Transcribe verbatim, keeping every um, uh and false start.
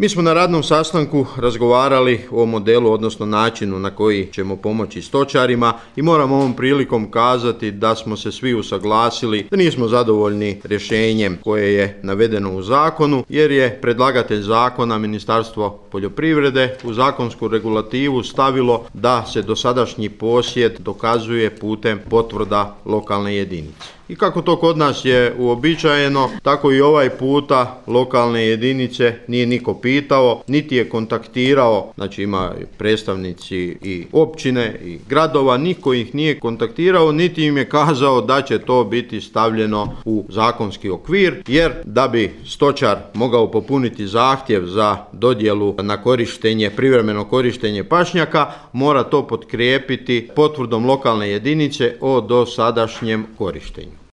Mi smo na radnom sastanku razgovarali o modelu, odnosno načinu na koji ćemo pomoći stočarima i moram ovom prilikom kazati da smo se svi usaglasili da nismo zadovoljni rješenjem koje je navedeno u zakonu, jer je predlagatelj zakona Ministarstvo poljoprivrede u zakonsku regulativu stavilo da se dosadašnji posjed dokazuje putem potvrda lokalne jedinice. I kako to kod nas je uobičajeno, tako i ovaj puta lokalne jedinice nije niko pitao, niti je kontaktirao, znači ima predstavnici i općine i gradova, niko ih nije kontaktirao, niti im je kazao da će to biti stavljeno u zakonski okvir, jer da bi stočar mogao popuniti zahtjev za dodjelu na korištenje, privremeno korištenje pašnjaka, mora to potkrijepiti potvrdom lokalne jedinice o dosadašnjem korištenju.